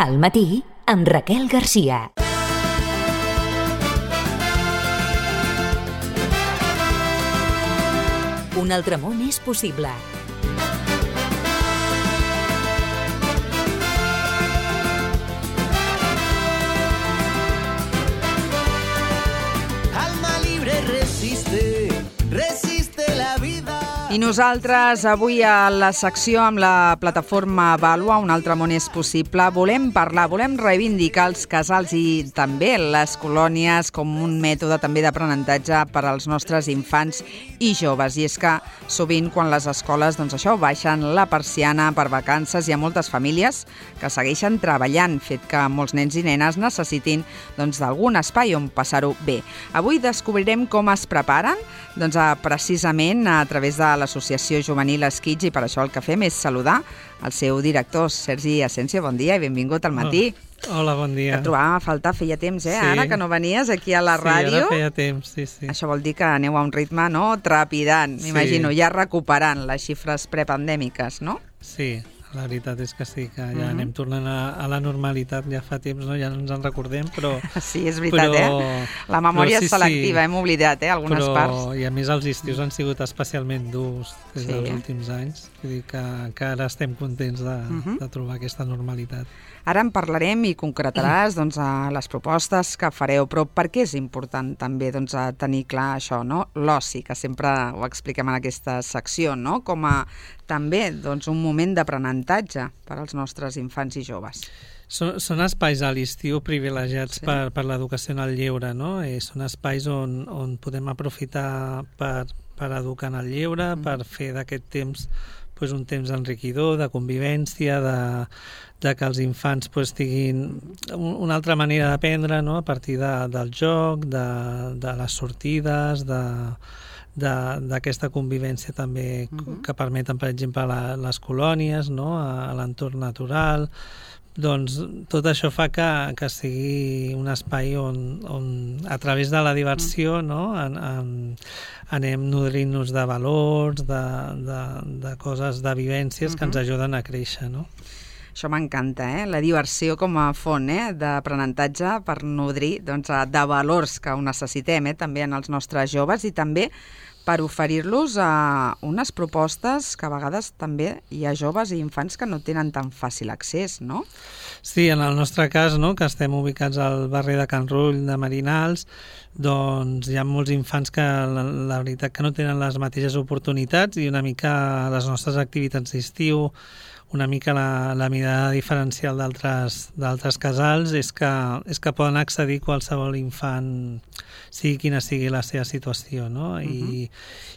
Al matí, amb Raquel Garcia. Un altre món és possible. Alma libre resiste la vida. I nosaltres, avui a la secció amb la plataforma Vàlua, Un altre món és possible, volem parlar, volem reivindicar els casals i també les colònies com un mètode també d'aprenentatge per als nostres infants i joves. I és que sovint quan les escoles, doncs això, baixen la persiana per vacances, hi ha moltes famílies que segueixen treballant, fet que molts nens i nenes necessitin d'algun espai on passar-ho bé. Avui descobrirem com es preparen, precisament a través de l'Associació Juvenil Esquitx, i per això el que fem és saludar el seu director, Sergi Asensio. Bon dia i benvingut al matí. Hola, bon dia. Et trobàvem a faltar, feia temps, Sí. Ara que no venies aquí a la ràdio. Sí, ara feia temps, sí. Això vol dir que aneu a un ritme, trepidant, m'imagino, ja recuperant les xifres prepandèmiques, no? Sí, la veritat és que sí, que ja anem tornant a la normalitat, ja fa temps, ja no ens en recordem, però... Sí, és veritat, La memòria és selectiva, hem oblidat, algunes parts. I a més els estius han sigut especialment durs des dels últims anys, vull dir que ara estem contents de trobar aquesta normalitat. Ara en parlarem i concretaràs les propostes que fareu, però per què és important també tenir clar això, l'oci, que sempre ho expliquem en aquesta secció, com a també un moment d'aprenentatge per als nostres infants i joves. Són espais a l'estiu privilegiats per l'educació en el lleure, són espais on podem aprofitar per educar en el lleure, per fer d'aquest temps un temps enriquidor, de convivència, de que els infants tinguin una altra manera d'aprendre a partir del joc, de les sortides, d'aquesta convivència també que permeten, per exemple, les colònies, a l'entorn natural. Doncs tot això fa que sigui un espai on a través de la diversió anem nodrint-nos de valors, de coses, de vivències que ens ajuden a créixer, Això m'encanta, la diversió com a font d'aprenentatge per nodrir de valors que ho necessitem també en els nostres joves i també per oferir-los unes propostes que a vegades també hi ha joves i infants que no tenen tan fàcil accés, no? Sí, en el nostre cas, que estem ubicats al barri de Can Rull, de Marinals, doncs hi ha molts infants que la veritat que no tenen les mateixes oportunitats i una mica les nostres activitats d'estiu, una mica la mirada diferencial d'altres casals és que poden accedir qualsevol infant, sigui quina sigui la seva situació,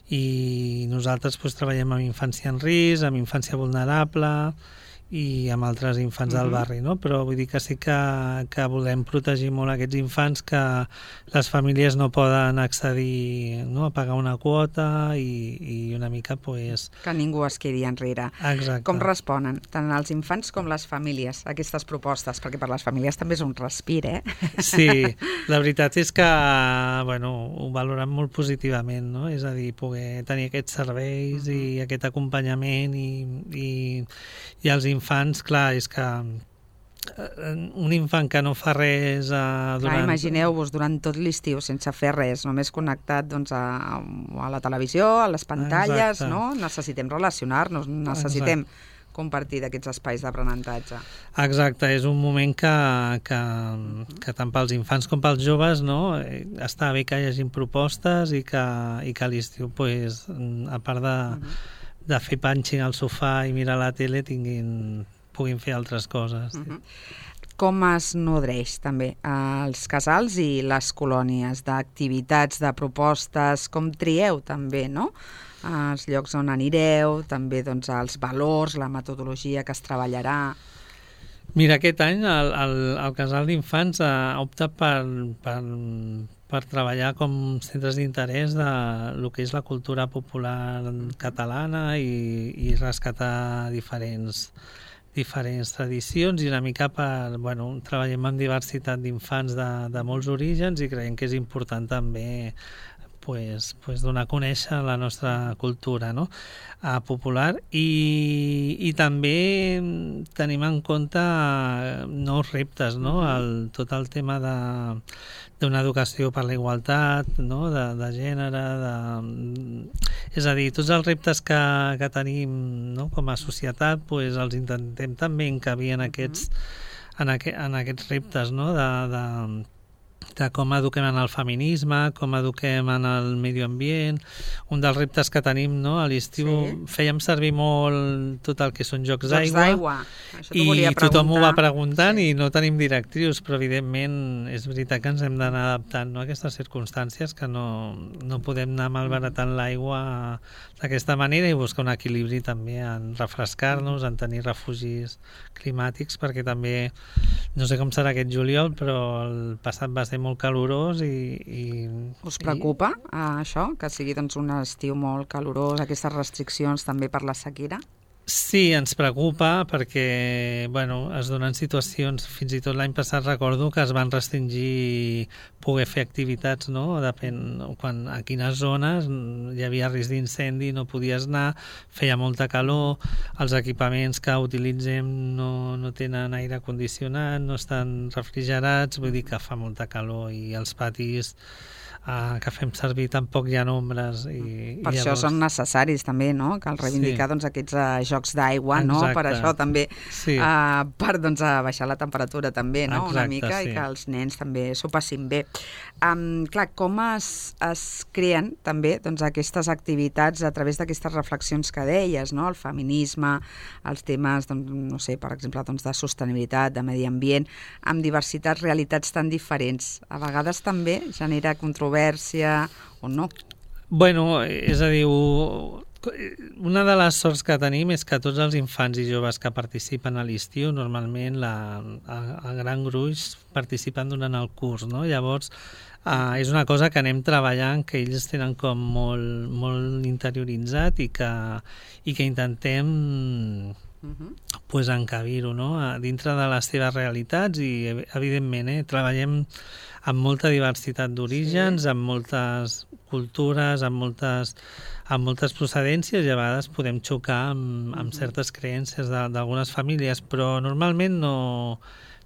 I nosaltres treballem amb infància en risc, amb infància vulnerable i amb altres infants del barri, però vull dir que sí que volem protegir molt aquests infants que les famílies no poden accedir a pagar una quota i una mica que ningú es quedi enrere. Exacte. Com responen tant els infants com les famílies a aquestes propostes? Perquè per les famílies també és un respir, Sí, la veritat és que ho valoren molt positivament, és a dir, poder tenir aquests serveis i aquest acompanyament i els infants, clar, és que un infant que no fa res durant... Imagineu-vos durant tot l'estiu sense fer res, només connectat a la televisió, a les pantalles, Necessitem relacionar-nos, necessitem compartir d'aquests espais d'aprenentatge. Exacte, és un moment que tant pels infants com pels joves està bé que hi hagin propostes i que a l'estiu, a part de fer punching al sofà i mirar la tele, puguin fer altres coses. Com es nodreix també els casals i les colònies d'activitats, de propostes, com trieu també, els llocs on anireu, també els valors, la metodologia que es treballarà? Mira, aquest any el Casal d'Infants ha optat per treballar com centres d'interès de lo que és la cultura popular catalana i rescatar diferents tradicions i una mica treballem amb diversitat d'infants de molts orígens i creiem que és important també donar a conèixer la nostra cultura, no? Popular, i també tenim en compte nous reptes, no? Tot el tema d'una educació per la igualtat, no? de gènere, és a dir, tots els reptes que tenim, no? Com a societat, els intentem també encabir en aquests reptes, no? De com eduquem en el feminisme, com eduquem en el medi ambient. Un dels reptes que tenim, no? A l'estiu fèiem servir molt tot el que són jocs d'aigua, i tothom ho va preguntant i no tenim directrius, però evidentment és veritat que ens hem d'anar adaptant, no? A aquestes circumstàncies, que no podem anar malbaratant l'aigua d'aquesta manera, i buscar un equilibri també en refrescar-nos, en tenir refugis climàtics, perquè també, no sé com serà aquest juliol, però el passat va ser molt calorós i us preocupa això, que sigui doncs, un estiu molt calorós, aquestes restriccions també per la sequera? Sí, ens preocupa perquè es donen situacions, fins i tot l'any passat recordo que es van restringir poder fer activitats, no? Depèn a quines zones hi havia risc d'incendi, no podies anar, feia molta calor, els equipaments que utilitzem no tenen aire condicionat, no estan refrigerats, vull dir que fa molta calor, i els patis que fem servir tampoc hi ha ombres. Per això són necessaris també, no? Cal reivindicar aquests jocs d'aigua, no? Per això també, per baixar la temperatura també, no? Una mica, i que els nens també s'ho passin bé. Clar, com es creen també aquestes activitats a través d'aquestes reflexions que deies, no? El feminisme, els temes, no sé, per exemple, de sostenibilitat, de medi ambient, amb diversitats, realitats tan diferents. A vegades també genera controvèrsia o no? És a dir, una de les sorts que tenim és que tots els infants i joves que participen a l'estiu, normalment el gran gruix participen durant el curs, no? Llavors, és una cosa que anem treballant, que ells tenen com molt interioritzat, i que intentem encabir-ho, no? Dintre de les seves realitats, i evidentment treballem amb molta diversitat d'orígens, amb moltes cultures, amb moltes procedències, i a vegades podem xocar amb certes creences d'algunes famílies, però normalment no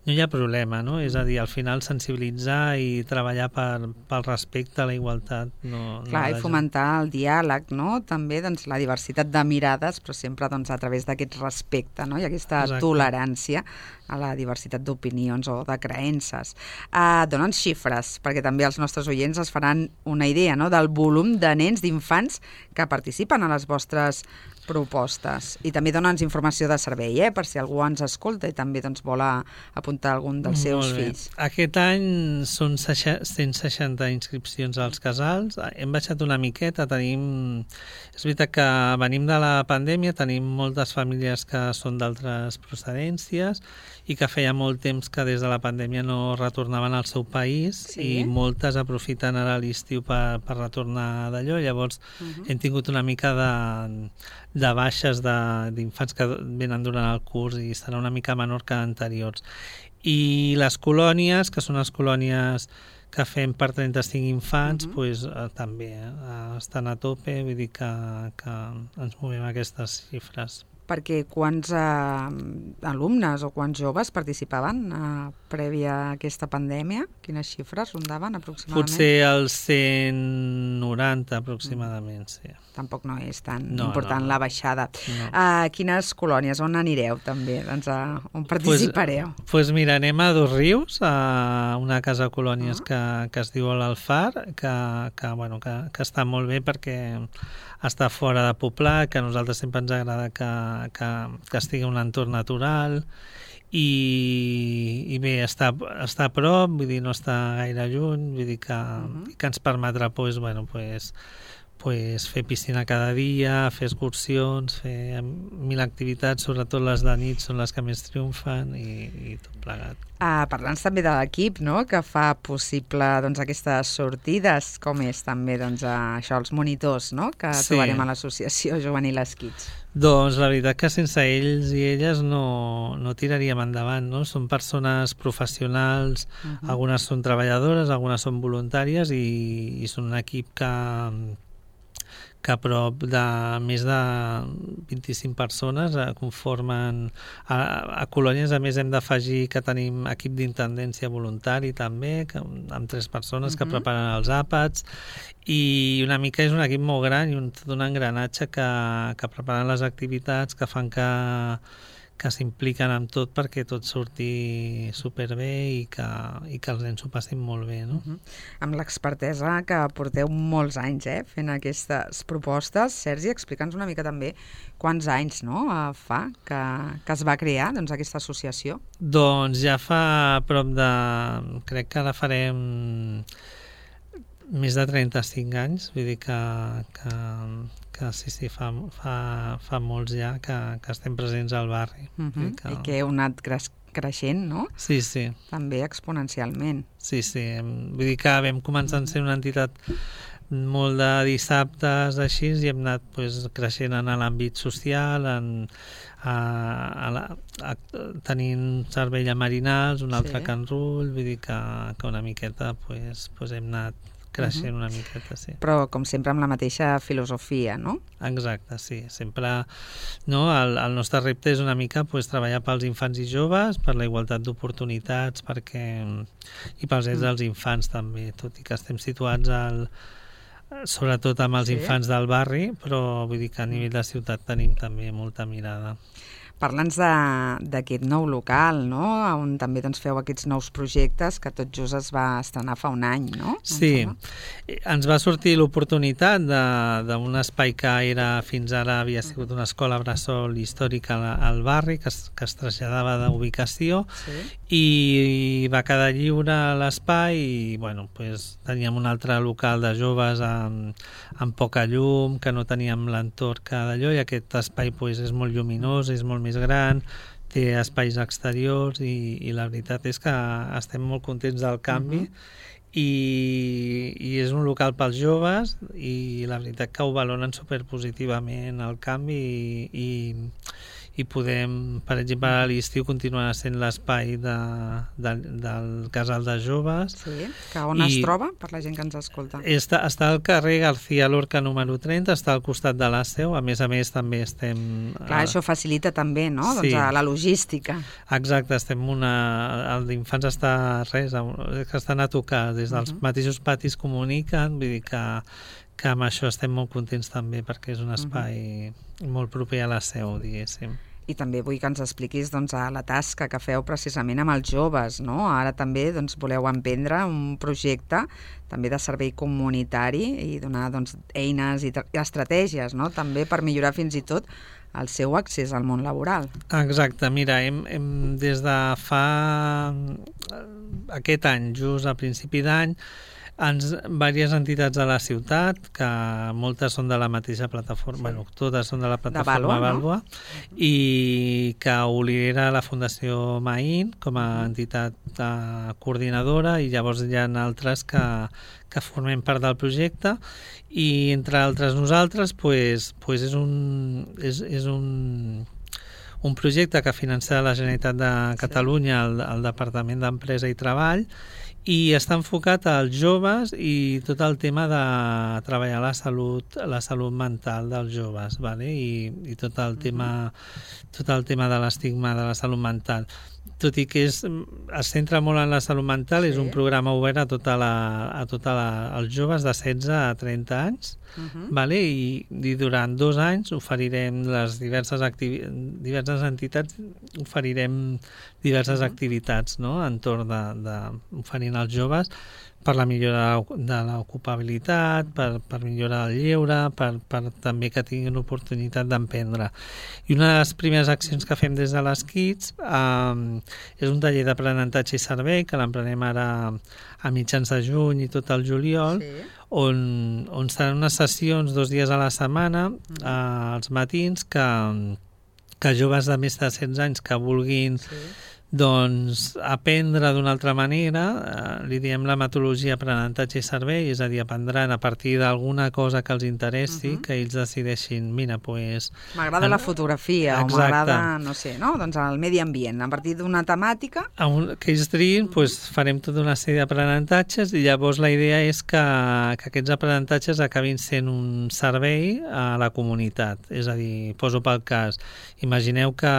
hi ha problema, no? És a dir, al final sensibilitzar i treballar pel respecte a la igualtat. Clar, i fomentar el diàleg, no? També la diversitat de mirades, però sempre a través d'aquest respecte, no? I aquesta tolerància a la diversitat d'opinions o de creences. Donen xifres, perquè també els nostres oients es faran una idea, no? Del volum de nens, d'infants que participen a les vostres propostes. I també dona'ns informació de servei, per si algú ens escolta i també vol apuntar algun dels seus fills. Aquest any són 160 inscripcions als casals. Hem baixat una miqueta. És veritat que venim de la pandèmia, tenim moltes famílies que són d'altres procedències i que feia molt temps que des de la pandèmia no retornaven al seu país, i moltes aprofiten ara l'estiu per retornar d'allò. Llavors hem tingut una mica de baixes d'infants que venen durant el curs, i serà una mica menor que anteriors. I les colònies, que són les colònies que fem per 35 infants, també estan a tope, vull dir que ens movem aquestes xifres. Perquè quants alumnes o quants joves participaven prèvia a aquesta pandèmia? Quines xifres rondaven aproximadament? Potser els 190 aproximadament, sí. Tampoc no és tan important la baixada. Quines colònies? On anireu també? On participareu? Doncs mira, anem a Dosrius, a una casa de colònies que es diu l'Alfar, que està molt bé perquè està fora de poblat, que a nosaltres sempre ens agrada que estigui en un entorn natural, i bé, està a prop, vull dir, no està gaire lluny, vull dir que ens permetrà fer piscina cada dia, fer excursions, fer 1000 activitats, sobretot les de nit són les que més triomfen, i tot plegat. Parlant també de l'equip, no?, que fa possible aquestes sortides, com és també això, els monitors, no?, que trobarem a l'associació Juvenil Esquits. Doncs la veritat que sense ells i elles no tiraríem endavant, no? Són persones professionals, algunes són treballadores, algunes són voluntàries i són un equip que a prop de més de 25 persones conformen a Colònies. A més, hem d'afegir que tenim equip d'intendència voluntari també, amb 3 persones que preparen els àpats, i una mica és un equip molt gran i tot un engranatge que preparen les activitats, que fan que s'impliquen amb tot perquè tot surti superbé i que els nens s'ho passin molt bé, no? Amb l'expertesa que porteu molts anys fent aquestes propostes, Sergi, explica'ns una mica també quants anys fa que es va crear aquesta associació. Doncs ja fa prop de... crec que ara farem més de 35 anys, vull dir que sí, fa molts ja que estem presents al barri. I que heu anat creixent, no? Sí. També exponencialment. Sí, vull dir que vam començar a ser una entitat molt de dissabtes, així, i hem anat creixent en l'àmbit social, tenint servei a Marinals, un altre a Can Rull, vull dir que una miqueta hem anat creixent una miqueta, sí. Però, com sempre, amb la mateixa filosofia, no? Exacte, sí. Sempre, no? El nostre repte és una mica treballar pels infants i joves, per la igualtat d'oportunitats, i pels drets dels infants també, tot i que estem situats sobretot amb els infants del barri, però vull dir que a nivell de ciutat tenim també molta mirada. Parla'ns d'aquest nou local, no? On també feu aquests nous projectes que tot just es va estrenar fa un any, no? Sí, ens va sortir l'oportunitat d'un espai que fins ara havia sigut una escola bressol històrica al barri, que es traslladava d'ubicació, i va quedar lliure l'espai i teníem un altre local de joves amb poca llum, que no teníem l'entorn que d'allò, i aquest espai és molt lluminós, és molt més gran, té espais exteriors i la veritat és que estem molt contents del canvi i és un local pels joves i la veritat que ho valoren superpositivament el canvi i podem, per exemple, a l'estiu continuar sent l'espai del casal de joves. Sí, que on es troba, per la gent que ens escolta? Està al carrer García Lorca número 30, està al costat de l'Àsseu, a més també estem... Clar, això facilita també, no?, sí. La logística. Exacte, el d'infants està que estan a tocar, des dels mateixos patis comuniquen, vull dir que amb això estem molt contents també, perquè és un espai molt proper a la seu, diguéssim. I també vull que ens expliquis la tasca que feu precisament amb els joves, no? Ara també voleu emprendre un projecte també de servei comunitari i donar eines i estratègies, no? També per millorar fins i tot el seu accés al món laboral. Exacte, mira, hem des de fa aquest any, just a principi d'any, diverses entitats de la ciutat, que moltes són de la mateixa plataforma, totes són de la plataforma Vàlua, i que ho lidera la Fundació Maín com a entitat coordinadora, i llavors hi ha altres que formem part del projecte, i entre altres nosaltres és un projecte que finança la Generalitat de Catalunya, el Departament d'Empresa i Treball, i està enfocat als joves i tot el tema de treballar la salut mental dels joves, ¿vale? I tot el tema de l'estigma de la salut mental. Tot i que es centra molt en la salut mental, és un programa obert a als joves de 16 a 30 anys, ¿vale? I durant 2 anys oferirem les diverses entitats, oferirem diverses activitats, no?, entorn oferint als joves per la millora de l'ocupabilitat, per millorar el lleure, per també que tinguin oportunitat d'emprendre. I una de les primeres accions que fem des de les Kids és un taller d'aprenentatge i servei, que l'emprenem ara a mitjans de juny i tot el juliol, on seran unes sessions 2 dies a la setmana, als matins, que joves de més de 16 anys que vulguin doncs aprendre d'una altra manera, li diem la metodologia aprenentatge i servei, és a dir, aprendran a partir d'alguna cosa que els interessi, que ells decideixin, mira, doncs... M'agrada la fotografia, o m'agrada, no sé, no? Doncs el medi ambient, a partir d'una temàtica... Que ells triïn, doncs farem tota una sèrie d'aprenentatges i llavors la idea és que aquests aprenentatges acabin sent un servei a la comunitat. És a dir, poso pel cas, imagineu que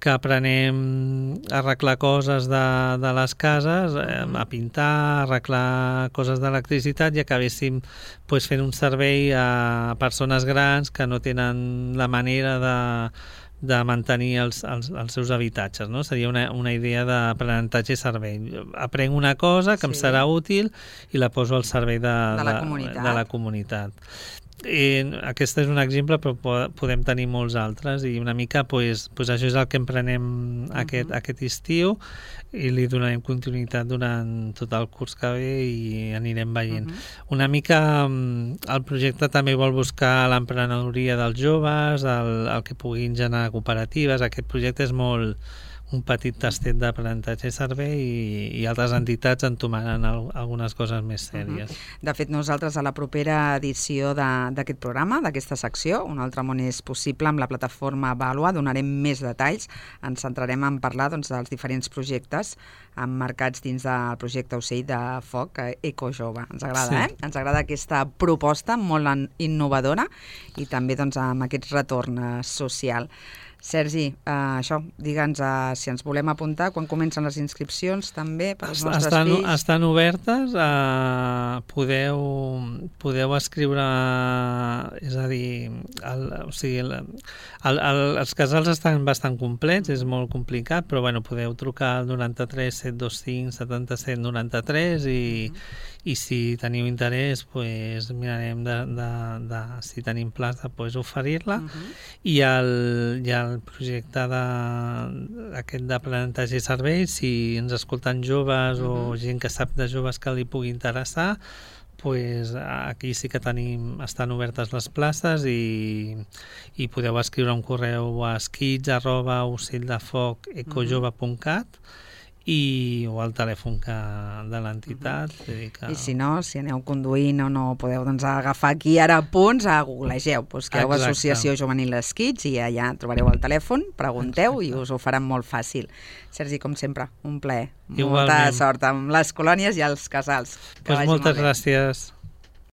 aprenem a arreglar coses de les cases, a pintar, a arreglar coses d'electricitat i acabéssim fent un servei a persones grans que no tenen la manera de mantenir els seus habitatges, no? Seria una idea d'aprenentatge i servei. Aprenc una cosa que em serà útil i la poso al servei de la comunitat. Aquest és un exemple, però podem tenir molts altres i una mica això és el que emprenem aquest estiu i li donarem continuïtat durant tot el curs que ve i anirem veient. Una mica el projecte també vol buscar l'emprenedoria dels joves, el que puguin generar cooperatives. Aquest projecte és molt un petit tastet d'aprenentatge i servei i altres entitats entomaran algunes coses més sèries. De fet, nosaltres a la propera edició d'aquest programa, d'aquesta secció, Un altre món és possible, amb la plataforma Vàlua, donarem més detalls. Ens centrarem en parlar dels diferents projectes emmarcats dins del projecte Ocell de Foc Ecojove. Ens agrada, Ens agrada aquesta proposta molt innovadora i també amb aquest retorn social. Sergi, això, digue'ns si ens volem apuntar, quan comencen les inscripcions també per als nostres fills? Estan obertes, podeu escriure, és a dir, els casals estan bastant complets, és molt complicat, però podeu trucar al 93 725 77 93 i si teniu interès mirarem si tenim plaça oferir-la i el projecte aquest d'aprenentatge i servei, si ens escolten joves o gent que sap de joves que li pugui interessar, aquí sí que estan obertes les places i podeu escriure un correu a skits@ocelldefoc.ecojove.cat o al telèfon de l'entitat. I si no, si aneu conduint o no podeu agafar aquí ara punts, googlegeu, busqueu Associació Juvenil Skits i allà trobareu el telèfon, pregunteu i us ho faran molt fàcil. Sergi, com sempre, un plaer. Molta sort amb les colònies i els casals. Moltes gràcies.